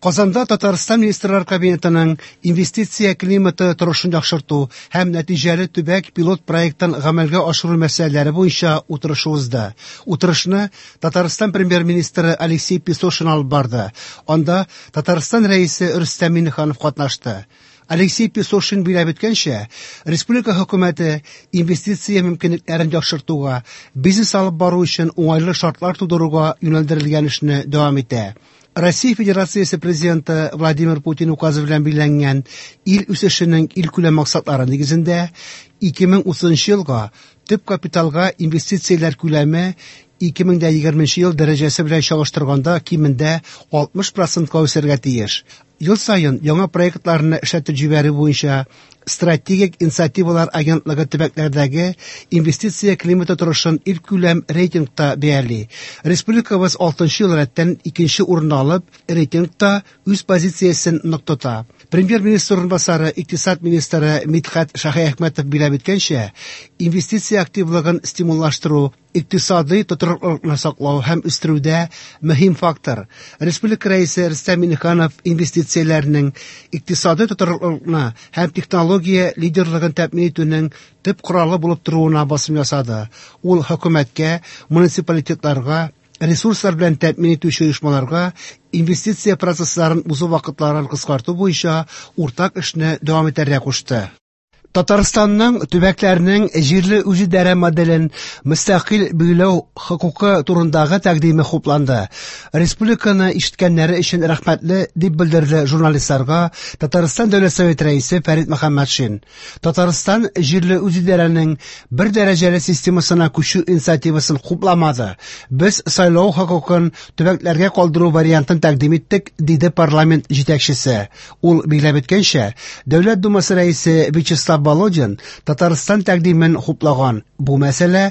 Казанда Татарстан Министрлар Кабинетының инвестиция климаты торышын яхшырту һәм нәтиҗәле төбәк пилот проектын гамәлгә ашыру мәсьәләләре буенча утырышы узды. Утырышны Татарстан Премьер-министры Алексей Песошин алып барды. Анда Татарстан Рәисе Рөстәм Миңнеханов катнашты. Алексей Песошин биләп үткәнчә, республика хөкүмәте инвестиция мөмкинлекләрен яхшыртуга, бизнес алып бару өчен уңайлы шартлар тудыруга юнәлдерелгән эшне дәвам итә. Россия Федерациясе Президенты Владимир Путин указы белән билгеләнгән ил үсешенең илкүләм максатлары нигезендә 2030 елга төп капиталга инвестицияләр күләме 2020 ел дәрәҗәсе белән чагыштырганда кимендә 60 процентка үсәргә тиеш. Ел саен яңа проектларны эшләтеп җибәрү буенча Стратегик инициативалар агентлыгы төбәкләрдәге инвестиция климаты торышын илкүләм рейтингта бәяли. Республикабыз 6 ел рәттән икенче урынны алып, рейтингта үз позициясен нык тота. Премьер-министр урынбасары, икътисад министры Мидхәт Шаһиәхмәтов биләп үткәнчә, инвестиция активлыгын стимуллаштыру икътисадый тотрыклылыкны саклау һәм үстерүдә мөһим фактор. Республика Рәисе Рөстәм Миңнеханов инвестицияләрнең икътисадый тотрыклылыкны һәм технология лидерлыгын тәэмин итүнең төп коралы булып торуына басым ясады. Ул хөкүмәткә, муниципалитетларга, ресурслар белән тәэмин итүче оешмаларга инвестиция процессларын узу вакытларын кыскарту буенча уртак эшне дәвам итәргә кушты. Татарстанның төбәкләрнең җирле үзидарә моделен мөстәкыйль билгеләү хокукы турындагы тәкъдиме хупланды. Республиканы ишеткәннәре өчен рәхмәтле, дип белдерде журналистларга Татарстан Дәүләт Советы рәисе Фәрит Мөхәммәтшин. Татарстан җирле үзидарәнең бер дәрәҗәле системасына күчү инициативасын хупламады. Без сайлау хокукын төбәкләргә калдыру вариантын тәкъдим иттек, диде парламент җитәкчесе. Ул билгеләп үткәнчә, Дәүләт Думасы рәисе Вячеслав Володин Татарстан тәкъдимен хуплаган. Бу мәсьәлә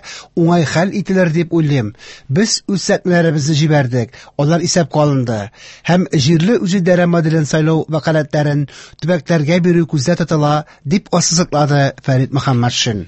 уңай хәл ителер дип уйлыйм. Без үз сәкмәләребезне җибәрдек, алар исәпкә алынды. Һәм җирле үзидарә моделен сайлау вәкаләтләрен төбәкләргә бирү күздә тотыла, дип ассызыклады Фәрит Мөхәммәтшин.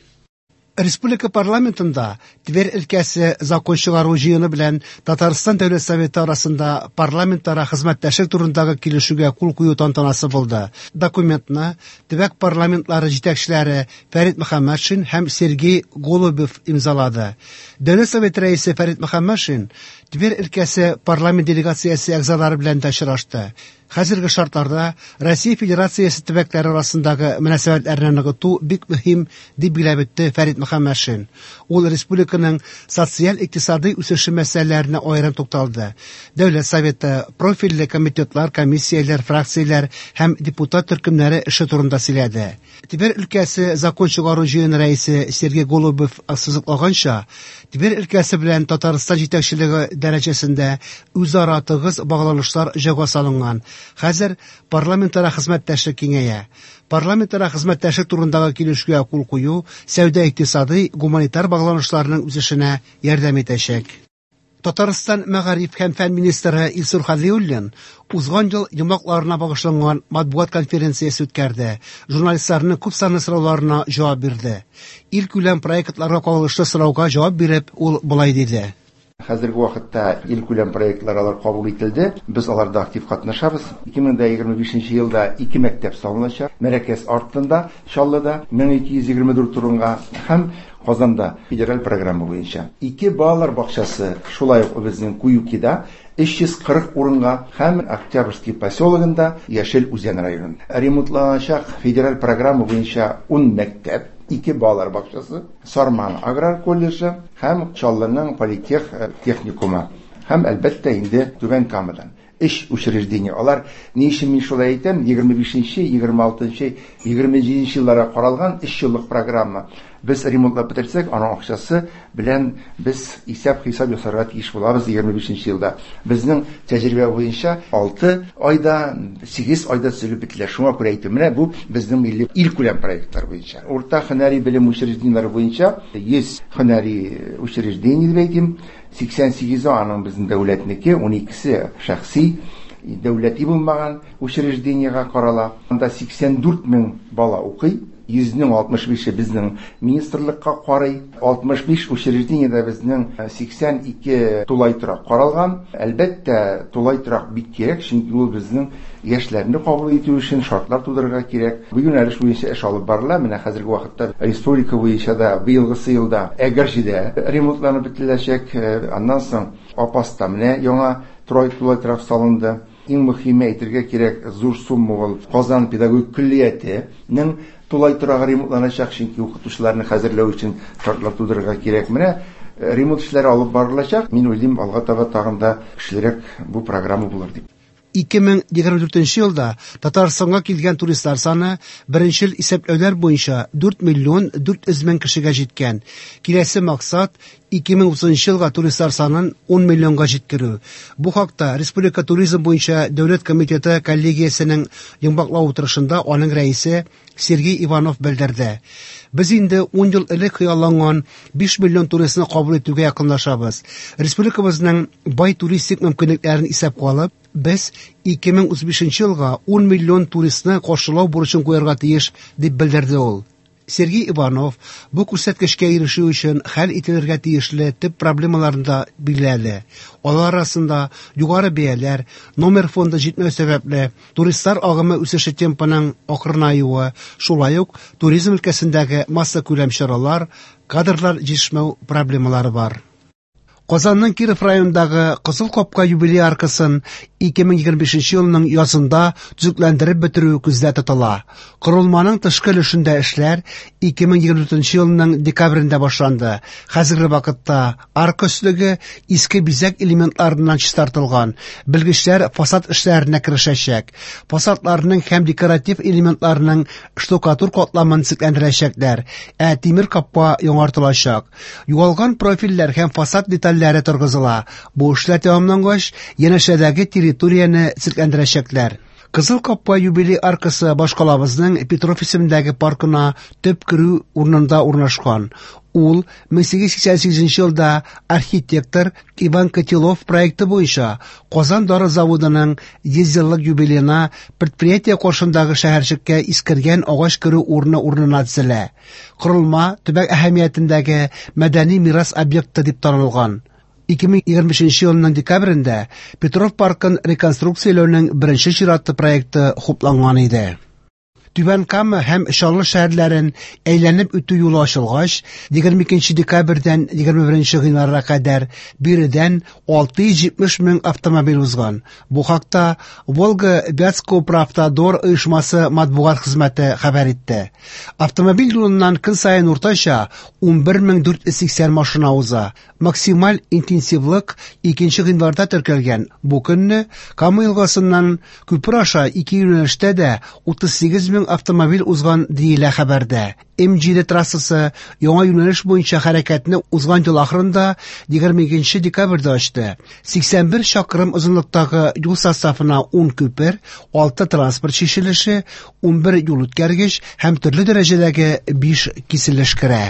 Республика парламентында Тверь өлкәсе закон чыгару җыены белән Татарстан Дәүләт Советы арасында парламентара хезмәттәшлек турындагы килешүгә кул кую тантанасы булды. Документны төбәк парламентлары җитәкчеләре Фәрит Мөхәммәтшин һәм Сергей Голубев имзалады. Дәүләт Советы рәисе Фәрит Мөхәммәтшин Тверь өлкәсе парламент делегациясе әгъзалары белән дә очрашты. Хәзерге шартларда Россия Федерациясе төбәкләре арасындагы мөнәсәбәтләрне ныгыту бик мөһим, дип билгеләп үтте Фәрит Мөхәммәтшин. Ул республиканың социаль-икътисадый үсеше мәсьәләләренә аерым тукталды. Дәүләт Советы, профильле комитетлар, комиссияләр, фракцияләр һәм депутат төркемнәре эше турында сөйләде. Тверь өлкәсе закон чыгару җыены рәисе Сергей Голубев ассызыклаганча, Тверь өлкәсе белән Татарстан җитәкчелеге дәрәҗәсендә үзара тыгыз багланышлар җайга салынган. Хәзер парламентара хезмәттәшлек киңәя. Парламентара хезмәттәшлек турындагы килешүгә кул кую сәүдә-икътисадый, гуманитар багланышларның үсешенә ярдәм итәчәк. Татарстан мәгариф һәм фән министры Илсур Хәлиуллин узган ел йомгакларына багышланган матбугат конференциясе үткәрде. Журналистларның күп санлы сорауларына җавап бирде. Илкүләм проектларга кагылышлы сорауга җавап биреп, ул болай диде. Хәзерге вакытта илкүләм проектлар алар кабул ителде. Без аларда актив катнашабыз. 2025 елда ике мәктәп салыначак. Мәрәкәз артында, Чаллыда 1224 урынга һәм Казанда федераль программа буенча. Ике балалар бакчасы шулай ук безнең Куюкида 340 урынга һәм Октябрьский поселогында Яшел Үзән районында. Ремонтланачак федераль программа буенча 10 мәктәп, ике балалар бакчасы, Сарман аграр колледжы һәм Чаллының политех техникумы һәм, әлбәттә, инде Түбән Камадан өч учреждение. Алар ни өчен мин шулай әйтәм? 25-нче, 26-нчы, 27-нче елларга каралган өч еллык программа. Без ремонтлап бетерсәк, аның акчасы белән без исәп-хисап ясарга тиеш булабыз 25 елда. Безнең тәҗрибә буенча 6 айда, 8 айда төзелеп бетелә. Шуңа күрә әйтәм, менә бу безнең милли илкүләм проектлар буенча. Урта һөнәри белем учреждениеләре буенча 100 һөнәри учреждение дип әйтим, 88-е аның безнең дәүләтнеке, 12-се шәхси, дәүләти булмаган учреждениегә карала. Анда 84 мең бала укый. 100-нең 65-е безнең министрлыкка карый. 65 учреждениедә безнең 82 тулай торак каралган. Әлбәттә, тулай торак бик кирәк, чөнки ул безнең яшьләрне кабул итү өчен шартлар тудырырга кирәк. Бу юнәлеш буенча эш алып барыла. Менә хәзерге вакытта республика буенча да быелгысы елда Әгерҗедә ремонтланып бетереләчәк. Аннан соң Апаста менә яңа тулай торак салынды. Иң мөһиме әйтергә кирәк, зур сумма ул Казан педагогик көллиятенең тулай торагы ремонтланачак, чөнки укытучыларны хәзерләү өчен шартлар тудырырга кирәк. Менә ремонт эшләре алып барылачак. Мин уйлыйм, алга таба тагын да көчлерәк бу программа булыр дип. 2024 елда Татарстанга килгән туристлар саны беренчел исәпләүләр буенча 4 миллион 400 мең кешегә җиткән. Киләсе максат 2030 елга туристлар санын 10 миллионга җиткерү. Бу хакта Республика туризм буенча дәүләт комитеты коллегиясенең йомгаклау утырышында аның рәисе Сергей Иванов белдерде. Без инде 10 ел элек хыялланган 5 миллион туристны кабул итүгә якынлашабыз. Республикабызның бай туристик мөмкинлекләрен исәпкә алып, без 2035 елга 10 миллион туристны каршылау бурычын куярга тиеш, дип белдерде ул. Сергей Иванов бу күрсәткечкә ирешү өчен хәл ителергә тиешле төп проблемаларны да билгеләде. Алар арасында югары бәяләр, номер фонды җитмәү сәбәпле, туристлар агымы үсеше темпының акрынаюы, шулай ук туризм өлкәсендәге массакүләм чаралар, кадрлар җитешмәү проблемалары бар. Казанның Киров районындагы Кызыл капка юбилей аркасын 2025 елның язында төзекләндереп бетерү күздә тотыла. Корылманың тышкы өлешендә эшләр 2024 елның декабрендә башланды. Хәзерге вакытта арка өслеге иске бизәк элементларыннан чистартылган. Белгечләр фасад эшләренә керешәчәк. Фасадларның һәм декоратив элементларның штукатур катламын төзекләндерәчәкләр, ә тимер капка яңартылачак. Югалган профильләр һәм фасад детальләре торгызыла. Бу эшләр тәмамлангач, янәшәдәге территорияне төзекләндерәчәкләр. Кызыл капка юбилей аркасы башкалабызның Петров исемендәге паркына төп керү урынында урнашкан. Ул 1888 елда архитектор Иван Котелов проекты буенча Казан дары заводының 100 еллык юбилеена предприятие каршындагы шәһәрчеккә искергән агач керү урыны урынына төзелә. Корылма төбәк әһәмиятендәге мәдәни мирас объекты дип танылган. 2025 елның декабрендә Петров паркын реконструкцияләүнең беренче чиратлы проекты хупланган иде. Түбән Кама һәм Чаллы шәһәрләрен әйләнеп үтү юлы ачылгач, 22 декабрьдән 21 гыйнварга кадәр биредән 670 мең автомобиль узган. Бу хакта Волга-Вятскоуправтодор оешмасы матбугат хезмәте хәбәр итте. Автомобиль юлыннан көн саен уртача 11480 машина уза. Максималь интенсивлык 2 гыйнварда теркәлгән. Бу көнне Кама елгасыннан күпер аша ике юнәлештә дә 38 мең автомобиль узган диелә хәбәрдә. М7 трассасы яңа юнәлеш буенча хәрәкәтне узган ел ахырында 22 декабрьдә ачты. 81 чакрым озынлыктагы юл составына 10 күпер, 6 транспорт чишелеше, 11 юл үткәргеч һәм төрле дәрәҗәдәге 5 киселеш керә.